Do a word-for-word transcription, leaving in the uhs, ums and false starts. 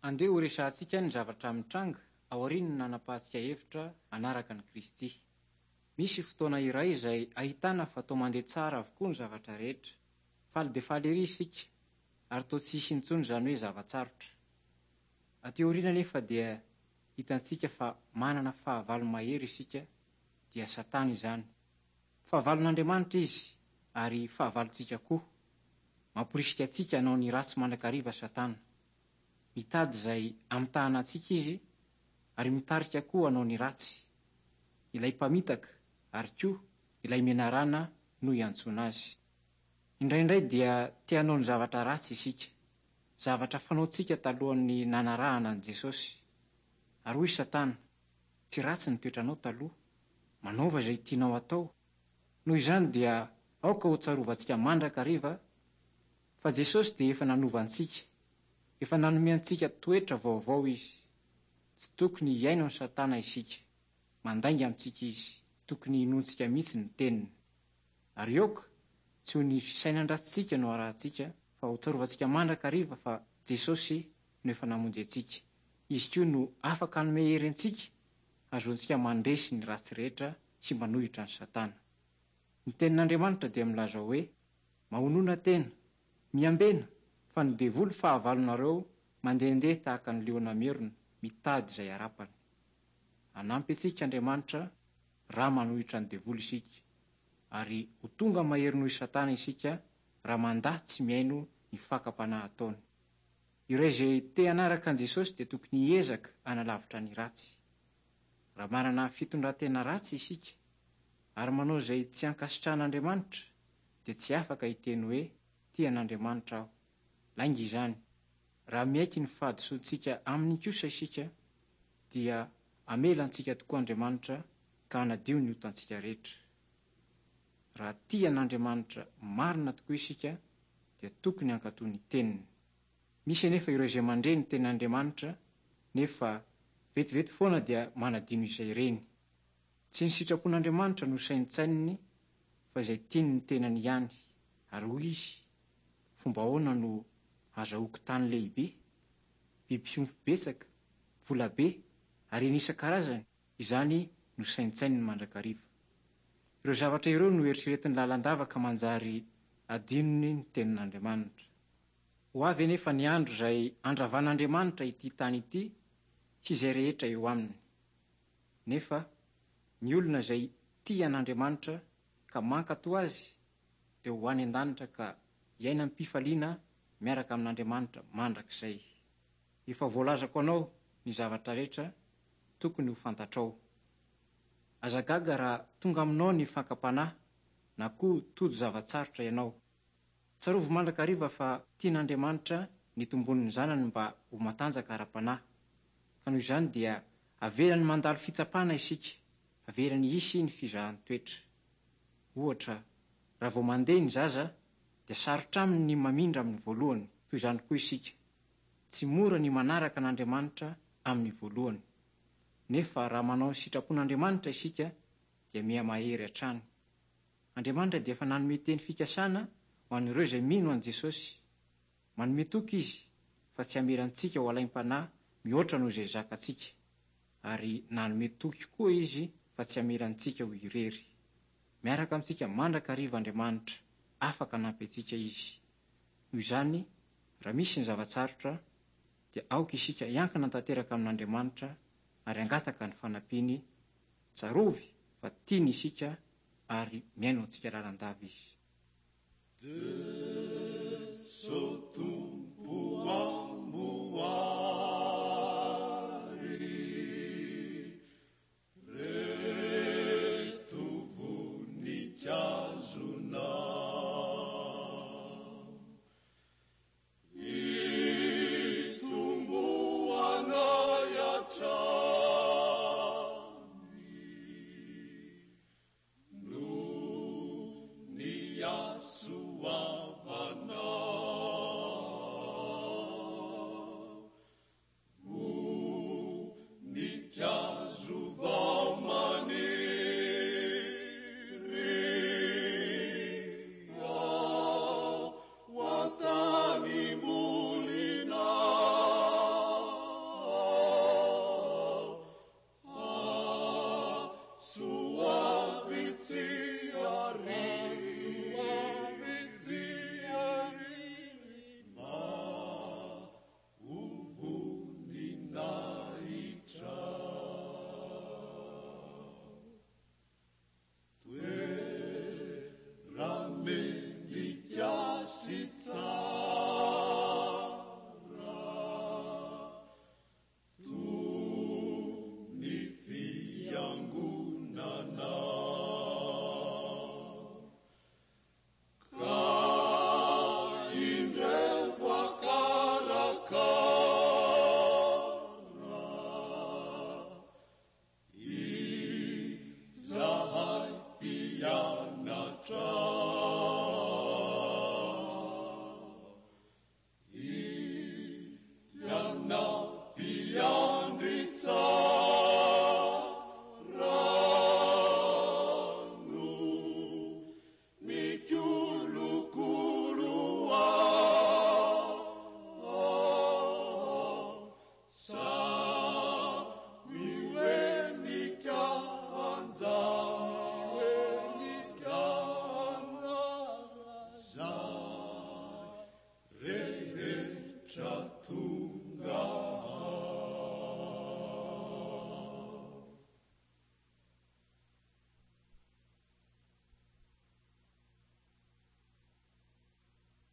Andeha ho resahantsika ny zavatra mitranga aorian'ny nanapahantsika hevitra hanaraka an'i Kristy. Misy fotoana iray izay ahitana fa toa mandeha tsara avokoa ny zavatra rehetra. Faly dia faly ery isika ary toa tsy hisy intsony izany hoe zava-tsarotra. Aty aoriana nefa dia hitantsika fa manana fahavalo mahery isika, dia Satana izany. Fahavalon'Andriamanitra izy ary fahavalontsika koa. Mamporisika antsika hanao ny ratsy mandrakariva Satana. Mitady izay hamitahana antsika izy ary mitarika koa hanao ny ratsy. Ilay mpamitaka ary koa ilay menarana no iantsoana azy. Indraindray dia te hanao ny zavatra ratsy isika. Zavatra fanaontsika talohan'ny nanarahana an'i Jesosy. Ary hoy Satana, tsy ratsy ny toetranao taloha, manaova izay tianao atao. Noho izany dia aoka ho tsarovantsika mandrakariva fa Jesosy dia efa nanova antsika, efa nanome antsika toetra vaovao izy. Tsy tokony hihaino an'i Satana isika, mandainga amintsika izy, tokony hinoantsika mihitsy ny teniny. Ary aoka tsy ho ny fisainan-dratsintsika no arahantsika, fa ho tsarovantsika mandrakariva fa Jesosy no efa namonjy antsika. Izy koa no afaka hanome hery antsika, ahazoantsika mandresy ny ratsy rehetra sy manohitra ny Satana. Ny tenin'Andriamanitra dia milaza hoe: mahonona tena, miambena, fa ny devoly fahavalonareo mandehandeha tahaka ny liona merona, mitady izay harapany. Hanampy antsika Andriamanitra raha manohitra ny devoly isika, ary ho tonga mahery noho i Satana isika raha mandà tsy mihaino ny fakam-panahy ataony. Ireo izay te hanaraka an'i Jesosy dia tokony hiezaka hanalavitra ny ratsy. Raha manana fitondran-tena ratsy isika ary manao izay tsy ankasitrahan'Andriamanitra, dia tsy afaka hiteny hoe tia an'Andriamanitra aho. Lainga izany. Raha miaiky ny fahadisoantsika aminy kosa isika, dia hamela antsika tokoa Andriamanitra ka hanadio ny otantsika rehetra. Raha tia an'Andriamanitra marina tokoa isika, dia tokony hankatò ny teniny. Misy anefa ireo izay mandre ny tenin'Andriamanitra, nefa vetivety foana dia manadino izay reny. Tsy ny sitrapon'Andriamanitra no saintsaininy, fa izay tiany ny tenany ihany. Ary hoy izy, fomba ahoana no azahoako tany lehibe, biby fiompy betsaka, vola be, ary ny isan-karazany, izany no saintsaininy mandrakariva. Ireo zavatra ireo no eritreretin'ny lalandava ka manjary adinony ny tenin'Andriamanitra. Ho avy anefa ny andro izay handravan'Andriamanitra ity tany ity sy izay rehetra eo aminy. Nefa ny olona izay tia an'Andriamanitra ka mankatò azy dia ho any an-danitra ka hiaina am-pifaliana miaraka amin'Andriamanitra mandrakizay. Efa voalazako anao ny zavatra rehetra tokony ho fantatrao. Aza gaga raha tonga aminao ny fakam-panahy na koa tojo zava-tsarotra ianao. Tsarovy mandrakariva fa tian'Andriamanitra ny tombon'ny zanany mba ho matanjaka ara-panahy. Ka noho izany dia avelany mandalo fitsapana isika, avelany hisy ny fizahan-toetra. Ohatra, raha vao mandeha ny zaza dia sarotra aminy ny mamindra amin'ny voalohany, toy izany koa isika. Tsy mora ny manaraka an'Andriamanitra amin'ny voalohany. Nefa raha manao ny sitrapon'Andriamanitra isika dia mihamahery hatrany. Andriamanitra dia efa nanome teny fikasana ho an'ireo izay mino an'i Jesosy. Manome toky izy fa tsy hamela antsika ho alaim-panahy mihoatra noho izay zakantsika. Ary nanome toky koa izy fa tsy hamela antsika ho irery. Miaraka amintsika mandrakariva Andriamanitra, afaka hanampy antsika izy. Noho izany, raha misy ny zava-tsarotra, dia aoka isika hiankina tanteraka amin'Andriamanitra ary hangataka ny fanampiany. Tsarovy fa tiany isika ary mihaino antsika lalandava izy. Jeso Tompo.